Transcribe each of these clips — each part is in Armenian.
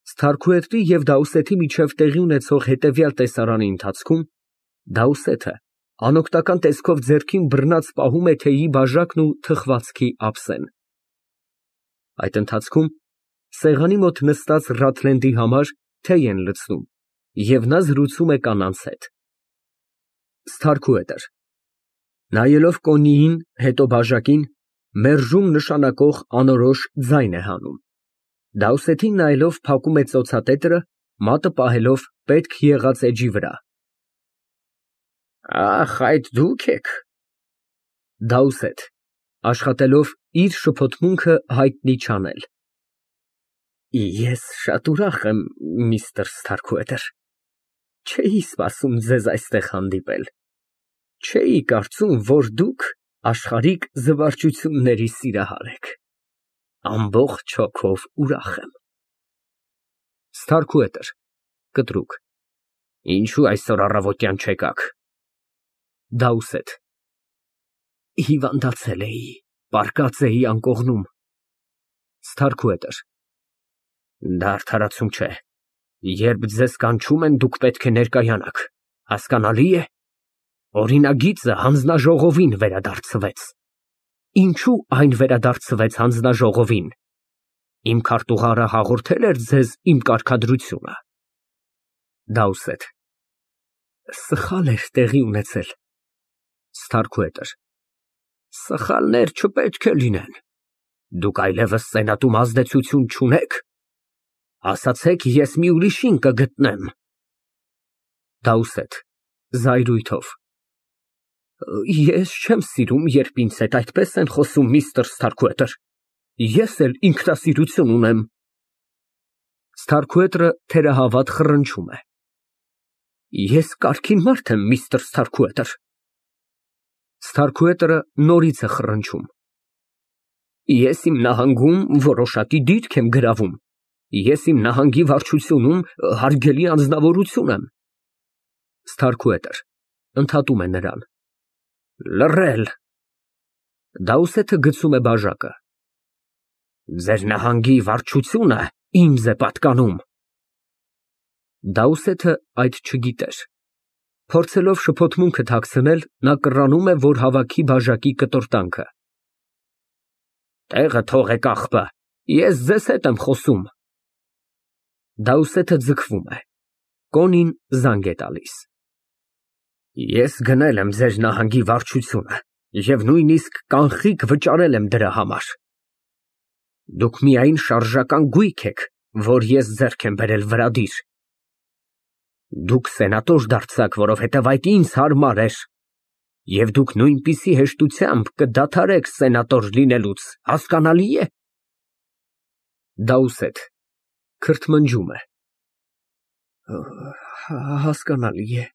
Սթարքուետրի և Դաուսեթի միջև տեղի ունեցող հետևյալ տեսարանի ընթացքում Դաուսեթը անօգնական տեսքով ձեռքին բռնած պահում է թեյի բաժակն ու թխվածքի ափսեն։ Այդ ընթացքում սեղանի մոտ նստած Ռաթլենդի համար թեյ են լցնում, և նա զրուցում է կանանց հետ։ Սթարքուետր նայելով Կոննիին, հետո բաժակին, մերժում նշանակող անորոշ ձայն է հանում։ Դաուսեթին նայելով փակում է ծոցատետրը, մատը պահելով պետք եղած էջի վրա։ Ախ, այդ դուք եք։ Դաուսեթ (աշխատելով իր շփոթմունքը հայտնի չանել) Ես շատ ուրախ եմ, միստր Սթարքուետր, չէի սպասում ձեզ այստեղ հանդիպել, չէի կարծում, որ դուք աշխարհիկ զվարճությունների սիրահար եք, ամբողջ հոգով ուրախ եմ։ Սթարքուետր (կտրուկ) Ինչո՞ւ այսօր առավոտյան չեկաք։ Դաուսեթ Հիվանդացել էի, պառկած էի անկողնում։ Սթարքուետր Դա արդարացում չէ, երբ ձեզ կանչում են, դուք պետք է ներկայանաք, հասկանալի է։ Օրինագիծը հանձնաժողովին վերադարձվեց։ Ինչո՞ւ այն վերադարձվեց հանձնաժողովին։ Իմ քարտուղարը հաղորդե՞լ էր ձեզ իմ կարգադրությունը։ Դաուսեթ Սխալ էր տեղի ունեցել։ Սթարքուետր Սխալներ չպետք է լինեն։ Դուք այլևս սենատում ազդեցություն չունեք։ Ասացեք, ես մի ուրիշին կգտնեմ։ Դաուսեթ (Զայրույթով) Ես չեմ սիրում, երբ ինձ հետ այդպես են խոսում, միստր Սթարքուետր, ես էլ ինքնասիրություն ունեմ։ Սթարքուետրը թերահավատ խռնչում է։ Ես կարգին մարդ եմ, միստր Սթարքուետր։ Սթարքուետրը նորից է խռնչում։ Ես իմ նահանգում որոշակի դիրք եմ գրավում, ես իմ նահանգի վարչությունում հարգելի անձնավորություն եմ։ Սթարքուետր (ընդհատում է նրան) Լռել։ Դաուսեթը գցում է բաժակը։ Ձեր նահանգի վարչությունը ինձ է պատկանում։ Դաուսեթը այդ չգիտեր։ Փորձելով շփոթմունքը թաքցնել, նա կռանում է, որ հավաքի բաժակի կտորտանքը։ Տեղը թողեք, աղբը, ես ձեզ հետ եմ խոսում։ Դաուսեթը ձգվում է։ Կոնին զանգ է տալիս։ Ես գնել եմ ձեր նահանգի վարչությունը և նույնիսկ կանխիկ վճարել եմ դրա համար։ Դուք միայն շարժական գույք եք, որ ես ձեռք եմ բերել վրադիր։ Դուք սենատոր դարձաք, որովհետև այդ ինձ հարմար էր, և դուք նույնպիսի հեշտությամբ կդադարեք սենատոր լինելուց, հասկանալի է։ Դաուսեթ (քրթմնջում է) Հասկանալի է։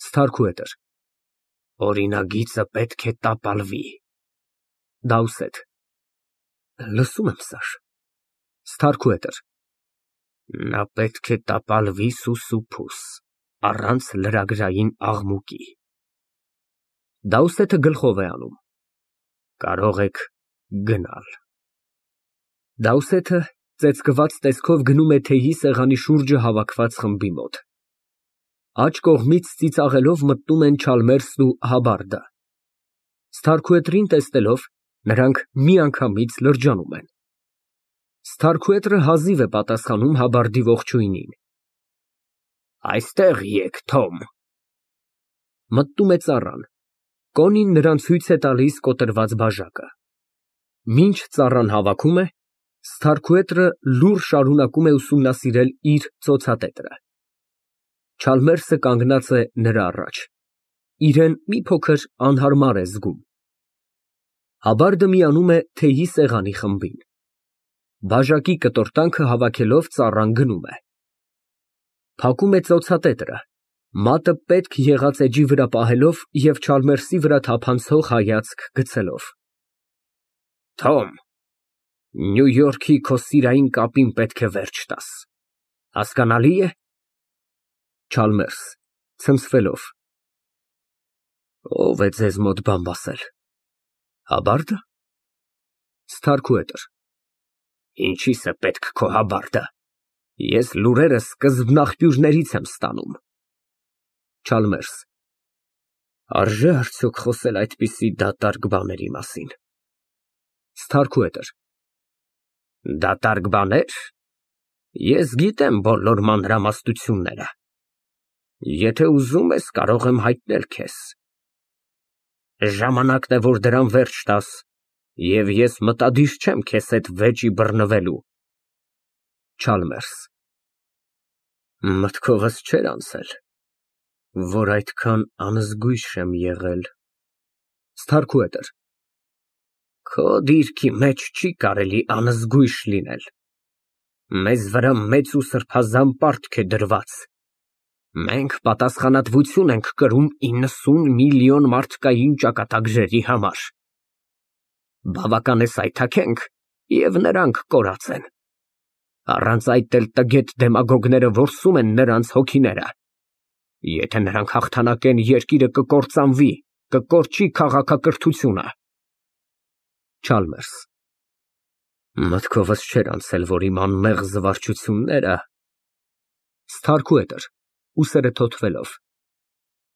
Սթարքուետր Օրինագիծը պետք է տապալվի։ Դաուսեթ Լսում եմ, սար։ Սթարքուետր Նա պետք է տապալվի սուսուփուս, առանց լրագրային աղմուկի։ Դաուսեթը գլխով է անում։ Կարող եք գնալ։ Դաուսեթը ծեծկված տեսքով գնում է թեյի սեղանի շուրջը հավաքված խմբի մոտ։ Աջ կողմից ծիծաղելով մտնում են Չալմերսն ու Հաբարդը։ Սթարքուետրին տեսնելով, նրանք միանգամից լրջանում են։ Սթարքուետրը հազիվ է պատասխանում Հաբարդի ողջույնին։ Այստեղ եկ, Թոմ։ Մտնում է ծառան։ Կոնին նրան ցույց է տալիս կոտրված բաժակը։ Մինչ ծառան հավաքում է, Սթարքուետրը լուռ շարունակում է ուսումնասիրել իր ծոցատետրը։ Չալմերսը կանգնած է նրա առաջ, իրեն մի փոքր անհարմար է զգում։ Հաբարդը միանում է թեյի սեղանի խմբին։ Բաժակի կտորտանքը հավաքելով ծառան գնում է։ Փակում է ծոցատետրը, մատը պետք եղած էջի վրա պահելով և Չալմերսի վրա թափանցող հայացք գցելով։ Թոմ, Նյու Յորքի քո սիրային կապին պետք է վերջ տաս, հասկանալի է։ Չալմերս (ցնցվելով) Ո՞վ է ձեզ մոտ բամբ ասել։ Հաբարդը։ Սթարքուետր Ինչի՞ս է պետք քո Հաբարդը։ Ես լուրերը սկզբնաղբյուրներից եմ ստանում։ Չալմերս, արժե արդյոք խոսել այդպիսի դատարկ բաների մասին։ Սթարքուհետր, դատարկ բաներ։ Ես գիտեմ բոլոր մանրամասնությունները։ Եթե ուզում ես, կարող եմ հայտնել քեզ։ Ժամանակն է, որ դրան վերջ տաս, և ես մտադիր չեմ քեզ հետ վեճի բռնվելու։ Չալմերս, մտքովս չէր անցել, որ այդքան անզգույշ եմ եղել։ Սթարքուհետր, քո դիրքի մեջ չի կարելի անզգույշ լինել։ Մեզ վրա մեծ ու սրբազան պարտք է դրված։ Մենք պատասխանատվություն ենք կրում 90 միլիոն մարդկային ճակատագրերի համար։ Բավական է սայթաքենք, և նրանք կորած են։ Առանց այդ էլ տգետ դեմագոգները որսում են նրանց հոգիները։ Եթե նրանք հաղթանակեն, երկիրը կկործանվի, կկորչի քաղաքակրթությունը։ Չալմերս, մտքովս չէր անցել, որ իմ անմեղ զվարճությունները… Սթարքուհետր (ուսերը թոթվելով)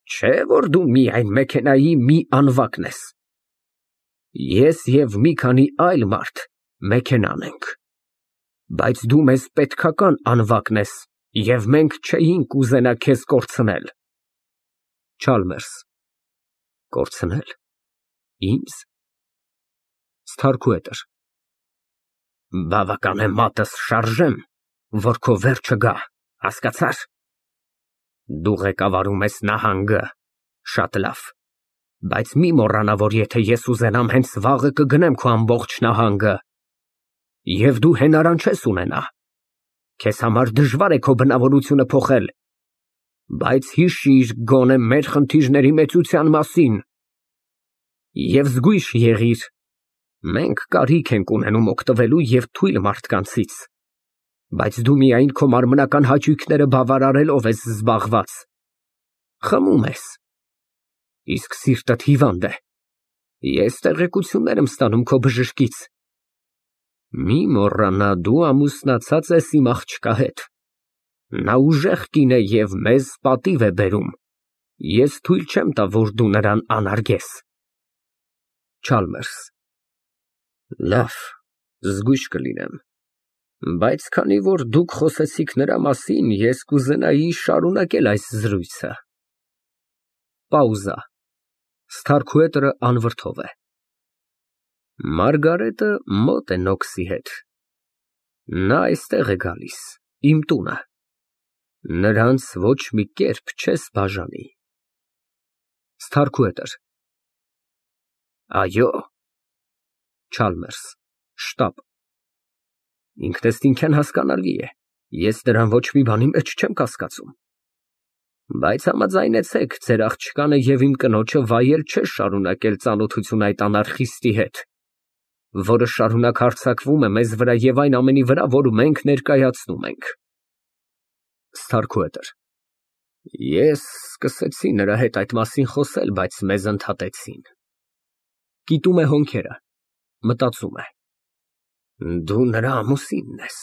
Չէ, որ դու միայն մեքենայի մի անվակն ես։ Ես և մի քանի այլ մարդ մեքենան ենք։ Բայց դու մեզ պետքական անվակն ես, և մենք չէինք ուզենա քեզ կորցնել։ Չալմերս, կորցնե՞լ, ինձ։ Սթարքուհետր Բավական է մատս շարժեմ, որ քո վերջը գա, հասկացա՞ր։ Դու ղեկավարում ես նահանգը, շատ լավ, բայց մի մոռանա, որ եթե ես ուզենամ, հենց վաղը կգնեմ քո ամբողջ նահանգը, և դու հենարան չես ունենա։ Քեզ համար դժվար է քո բնավորությունը փոխել, բայց հիշիր գոնե մեր խնդիրների մեծության մասին և զգույշ եղիր, մենք կարիք ենք ունենում օգտվելու և թույլ մարդկանցից, բայց դու միայն քո մարմնական հաճույքները բավարարելով ես զբաղված, խմում ես, իսկ սիրտդ հիվանդ է, ես տեղեկություններ եմ ստանում քո բժշկից։ Մի մոռանա, դու ամուսնացած ես իմ աղջկա հետ, նա ուժեղ կին է և մեզ պատիվ է բերում, ես թույլ չեմ տա, որ դու նրան անարգես։ Չալմերս Լավ, զգույշ կլինեմ, բայց քանի որ դուք խոսեցիք նրա մասին, ես կուզենայի շարունակել այս զրույցը։ Պաուզա, Սթարքուհետրը անվրդով է։ Մարգարետը մոտ է Նոքսի հետ։ Նա այստեղ է գալիս, իմ տունը։ Նրանց ոչ մի կերպ չես բաժանի։ Սթարքուհետր Այո։ Չալմերս շտապ Ինքնըստինքյան հասկանալի է, ես դրան ոչ մի բանի մեջ չեմ կասկածում, բայց համաձայնեցեք, ձեր աղջկանը և իմ կնոջը վայել չէ շարունակել ծանոթություն այդ անարխիստի հետ, որը շարունակ հարձակվում է մեզ վրա և այն ամենի վրա, որ մենք ներկայացնում ենք։ Սթարքուհետր Ես սկսեցի նրա հետ այդ մասին խոսել, բայց մեզ ընդհատեցին։ Կիտում է հոնքերը, մտածում է. Դու նրա ամուսինն ես,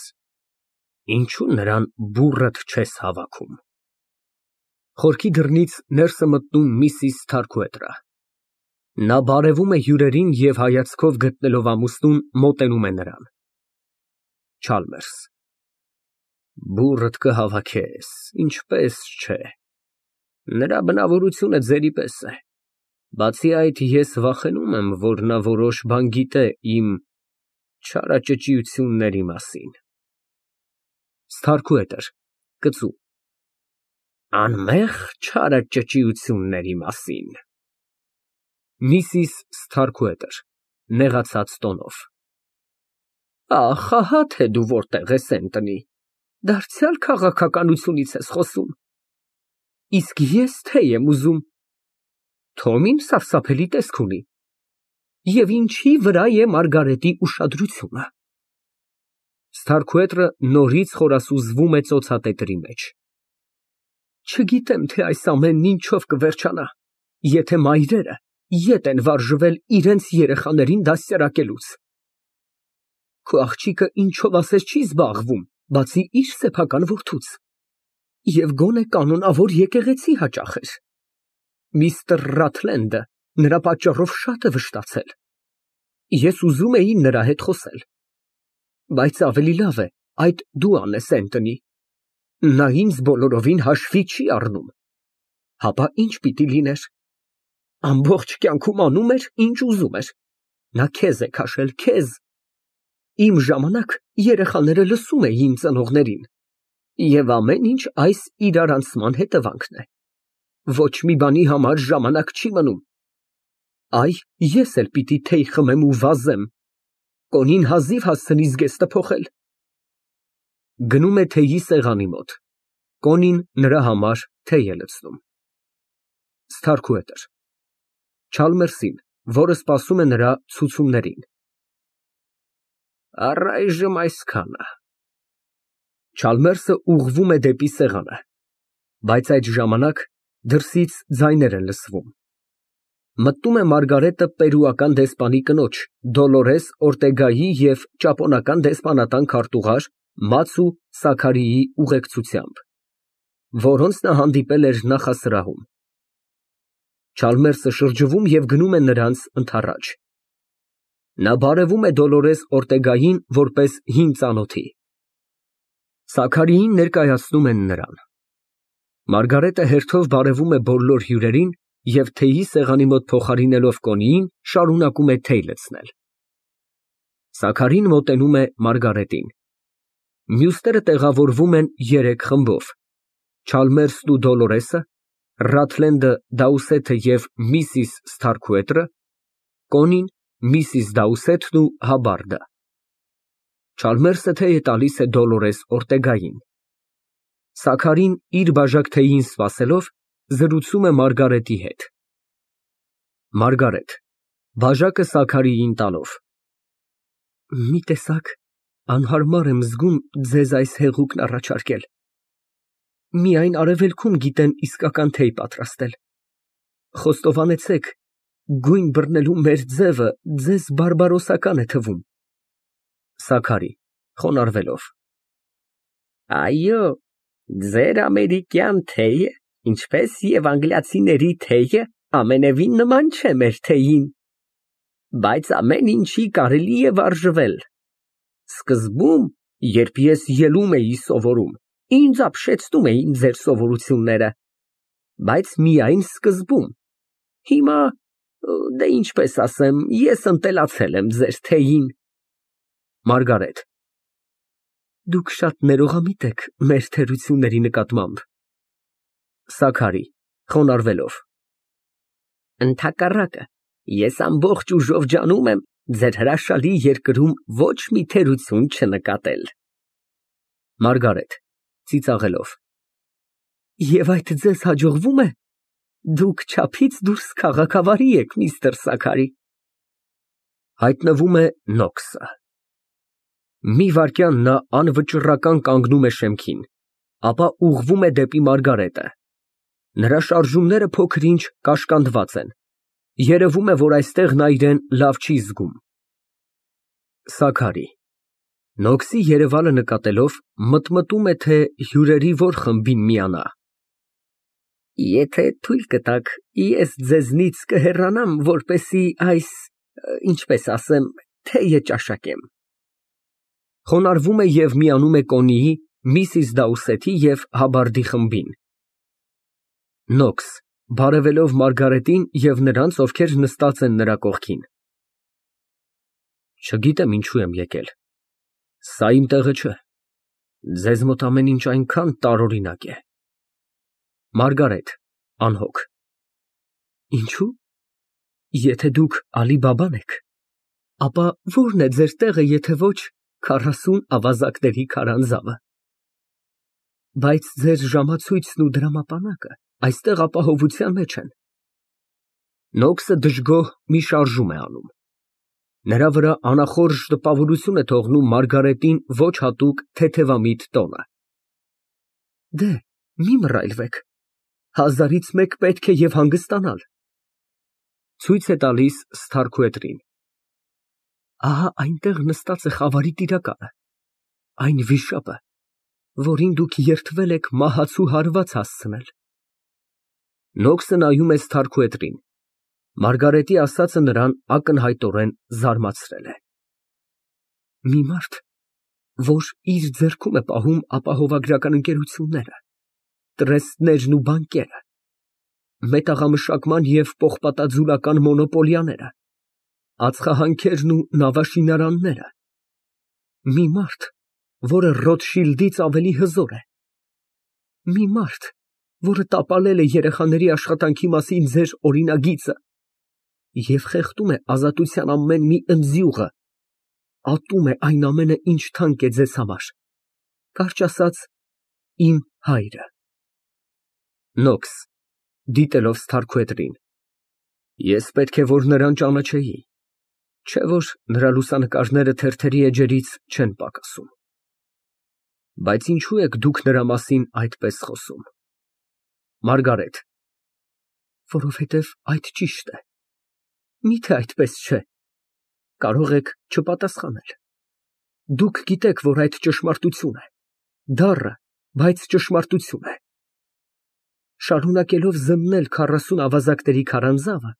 ինչու նրան բուռդ չես հավաքում։ Խորքի դռնից ներս է մտնում միսիս Սթարքուհետրը։ Նա բարևում է հյուրերին և հայացքով գտնելով ամուսնուն, մոտենում է նրան։ Չալմերս Բուռդ կհավաքես, ինչպես չէ։ Նրա բնավորությունը ձերի պես է, բացի այդ, ես վախենում եմ, որ նա որոշ բան գիտե իմ չարաճճիությունների մասին։ Սթարքուհետր (կծու) Անմեղ չարաճճիությունների մասին։ Միսիս Սթարքուհետր (նեղացած տոնով) Ախ, ահա թե դու որտեղ ես, Էնթոնի, դարձյալ քաղաքականությունից ես խոսում։ Իսկ ես թե եմ ուզում։ Թոմին սարսափելի տեսք ունի։ Եվ ինչի վրա է Մարգարետի ուշադրությունը։ Սթարքուհետրը նորից խորասուզվում է ծոցատետրի մեջ։ Չգիտեմ, թե այս ամենն ինչով կվերջանա, եթե մայրերը ետ են վարժվել իրենց երեխաներին դաստիարակելուց։ Քո աղջիկը ինչով ասես չի զբաղվում, բացի իր սեփական որդուց, և գոնե կանոնավոր եկեղեցի հաճախեր։ Միստր Ռաթլենդը նրա պատճառով շատ է վշտացել։ Ես ուզում էի նրա հետ խոսել, բայց ավելի լավ է այդ դու անես, Էնթոնի։ Նա ինձ բոլորովին հաշվի չի առնում։ Հապա ի՞նչ պիտի լիներ։ Ամբողջ կյանքում անում էր, ինչ ուզում էր։ Նա քեզ է քաշել, քեզ։ Իմ ժամանակ երեխաները լսում էին ծնողներին, և ամեն ինչ այս իրարանցման հետևանքն է։ Ոչ մի բանի համար ժամանակ չի մնում։ Այ, ես էլ պիտի թեյ խմեմ ու վազեմ։ Կոնին հազիվ հասցնի զգեստը փոխել։ (Գնում է թեյի սեղանի մոտ։ Կոնին նրա համար թեյ է լցնում)։ Սթարքուհետր Չալմերսին, որը սպասում է նրա ցուցումներին։ Առայժմ այսքանը։ Չալմերսը ուղղվում է դեպի սեղանը, բայց այդ ժամանակ դրսից ձայներ են լսվում։ Մտնում է Մարգարետը պերուական դեսպանի կնոջ Դոլորես Օրտեգայի և ճապոնական դեսպանատան քարտուղար Մացու Սաքարիի ուղեկցությամբ, որոնց նա հանդիպել էր նախասրահում։ Չալմերսը շրջվում և գնում է նրանց ընդառաջ։ Նա բարևում է Դոլորես Օրտեգային որպես հին ծանոթի։ Սաքարիին ներկայացնում են նրան։ Մարգարետը հերթով բարևում է բոլոր հյուրերին և թեյի սեղանի մոտ փոխարինելով Կոնիին, շարունակում է թեյ լցնել։ Սաքարին մոտենում է Մարգարետին։ Մյուսները տեղավորվում են երեք խմբով. Չալմերսն ու Դոլորեսը, Ռաթլենդը, Դաուսեթը և միսիս Սթարքուետրը, Կոնին, միսիս Դաուսեթն ու Հաբարդը։ Չալմերսը թեյ է տալիս է Դոլորես Օրտեգային։ Սաքարին, իր բաժակ թեյին սպասելով, զրուցում է Մարգարետի հետ։ ՄԱՐԳԱՐԵՏ ֊ (Բաժակը Սաքարիին տալով) Մի տեսակ անհարմար եմ զգում ձեզ այս հեղուկն առաջարկել։ Միայն արևելքում գիտեն իսկական թեյ պատրաստել։ Խոստովանեցեք, գույն բռնելու մեր ձևը ձեզ բարբարոսական է թվում։ ՍԱՔԱՐԻ ֊ (Խոնարհվելով) Այո, ձեր ամերիկյան թեյը, ինչպես և անգլիացիների թեյը, ամենևին նման չէ մեր թեյին, բայց ամեն ինչի կարելի է վարժվել։ Սկզբում, երբ ես ելում էի սովորում, ինձ ապշեցնում էին ձեր սովորությունները, բայց միայն սկզբում։ Հիմա, դե ինչպես ասեմ, ես ընտելացել եմ ձեր թեյին։ ՄԱՐԳԱՐԵՏ ֊ Դուք շատ ներողամիտ եք մեր թերությունների նկատմամբ։ ՍԱՔԱՐԻ ֊ (Խոնարհվելով) Ընդհակառակը, ես ամբողջ ուժով ջանում եմ ձեր հրաշալի երկրում ոչ մի թերություն չնկատել։ ՄԱՐԳԱՐԵՏ ֊ (Ծիծաղելով) Եվ այդ ձեզ հաջողվո՞ւմ է։ Դուք չափից դուրս քաղաքավարի եք, միստր Սաքարի։ Հայտնվում է Նոքսը։ Մի վայրկյան նա անվճռական կանգնում է շեմքին, ապա ուղղվում է դեպի Մարգարետը։ Նրա շարժումները փոքր֊ինչ կաշկանդված են։ Երևում է, որ այստեղ նա իրան լավ չի զգում։ ՍԱՔԱՐԻ Նոքսի երևալը նկատելով, մտմտում է, թե հյուրերի որ խմբին միանա։ Եթե թույլ կտաք, ես ձեզնից կհեռանամ, որպեսզի այս, ինչպես ասեմ, թեյը ճաշակեմ։ (Խոնարհվում է և միանում է Կոնիի, միսիս Դաուսեթի և Հաբարդի խմբին)։ ՆՈՔՍ ֊ (Բարևելով Մարգարետին և նրանց, ովքեր նստած են նրա կողքին) Չգիտեմ ինչու եմ եկել։ Սա իմ տեղը չէ։ Ձեզ մոտ ամեն ինչ այնքան տարօրինակ է։ ՄԱՐԳԱՐԵՏ ֊ (Անհոգ) Ինչո՞ւ։ Եթե դուք Ալի֊Բաբան եք, ապա ո՞րն է ձեր տեղը, եթե ոչ 40 ավազակների քարանձավը։ Բայց ձեր ժամացույցն ու դրամապանակը այստեղ ապահովության մեջ են։ (Նոքսը դժգոհ մի շարժում է անում։ Նրա վրա անախորժ տպավորություն է թողնում Մարգարետին ոչ հատուկ թեթևամիտ տոնը)։ Դե, մի մռայլվեք, հազարից մեկ պետք է և հանգստանալ։ (Ցույց է տալիս Սթարքուետրին) Ահա այնտեղ նստած է խավարի տիրակալը, այն վիշապը, որին դուք երդվել եք մահացու հարված հասցնել։ Նոքսը նայում է Սթարքուետրին։ Մարգարետի ասածը նրան ակնհայտորեն զարմացրել է։ Մի մարդ, որ իր ձեռքում է պահում ապահովագրական ընկերությունները, տրեստներն ու բանկերը, մետաղամշակման և պողպատաձուլական մոնոպոլիաները, ածխահանքերն ու նավաշինարանները, մի մարդ, որը Ռոթշիլդից ավելի հզոր է, մի մարդ, որը տապալել է երեխաների աշխատանքի մասին ձեր օրինագիծը և խեղդում է ազատության ամեն մի ընձյուղը, ատում է այն ամենը, ինչ թանկ է ձեզ համար, կարճ ասած, իմ հայրը։ Նոքս (դիտելով Սթարքուետրին) Ես պետք է որ նրան ճանաչեի, չէ՞ որ նրա լուսանկարները թերթերի էջերից չեն պակասում։ Բայց ինչո՞ւ եք դուք նրա մասին այդպես խոսում։ ՄԱՐԳԱՐԵՏ ֊ Որովհետև այդ ճիշտ է։ Միթե այդպես չէ։ Կարող եք չպատասխանել։ Դուք գիտեք, որ այդ ճշմարտություն է, դառը, բայց ճշմարտություն է։ Շարունակելով զննել 40 ավազակների քարանձավը,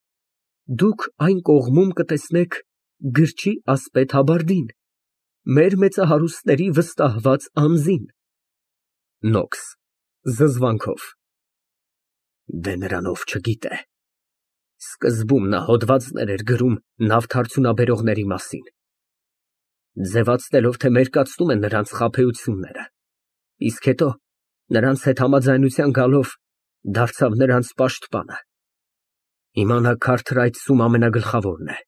դուք այն կողմում կտեսնեք գրչի ասպետ Հաբարդին, մեր մեծահարուստների վստահված անձին։ ՆՈՔՍ ֊ (Զզվանքով) Դե նրան ով չգիտե։ Սկզբում նա հոդվածներ էր գրում նավթարդյունաբերողների մասին, ձևացնելով, թե մերկացնում է նրանց խաբեությունները, իսկ հետո, նրանց հետ համաձայնության գալով, դարձավ նրանց պաշտպանը։ Հիմա նա քարթրայցում ամենագլխավորն է։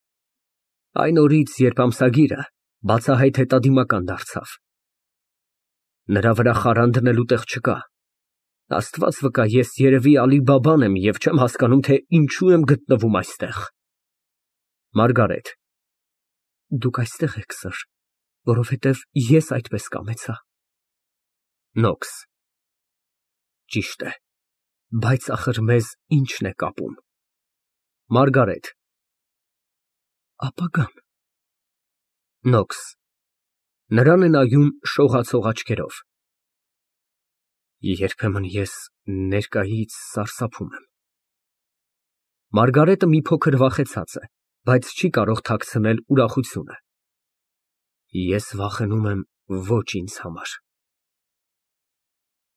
Այն օրից, երբ ամսագիրը բացահայտ հետադիմական դարձավ։ Նրա վրա խարան դնելու տեղ չկա։ Աստված վկա, ես երևի Ալի Բաբան եմ և չեմ հասկանում, թե ինչու եմ գտնվում այստեղ։ ՄԱՐԳԱՐԵՏ ֊ Դուք այստեղ եք, սըր, որովհետև ես այդպես կամեցա։ ՆՈՔՍ ֊ Ճիշտ է, բայց ախր մեզ ի՞նչն է կապում։ ՄԱՐԳԱՐԵՏ ֊ Ապագան։ ՆՈՔՍ ֊ Նրան է նայում շողացող աչքերով։ Երբեմն ես ներկայից սարսափում եմ։ ՄԱՐԳԱՐԵՏը մի փոքր վախեցած է, բայց չի կարող թաքցնել ուրախությունը։ Ես վախենում եմ ոչ ինձ համար։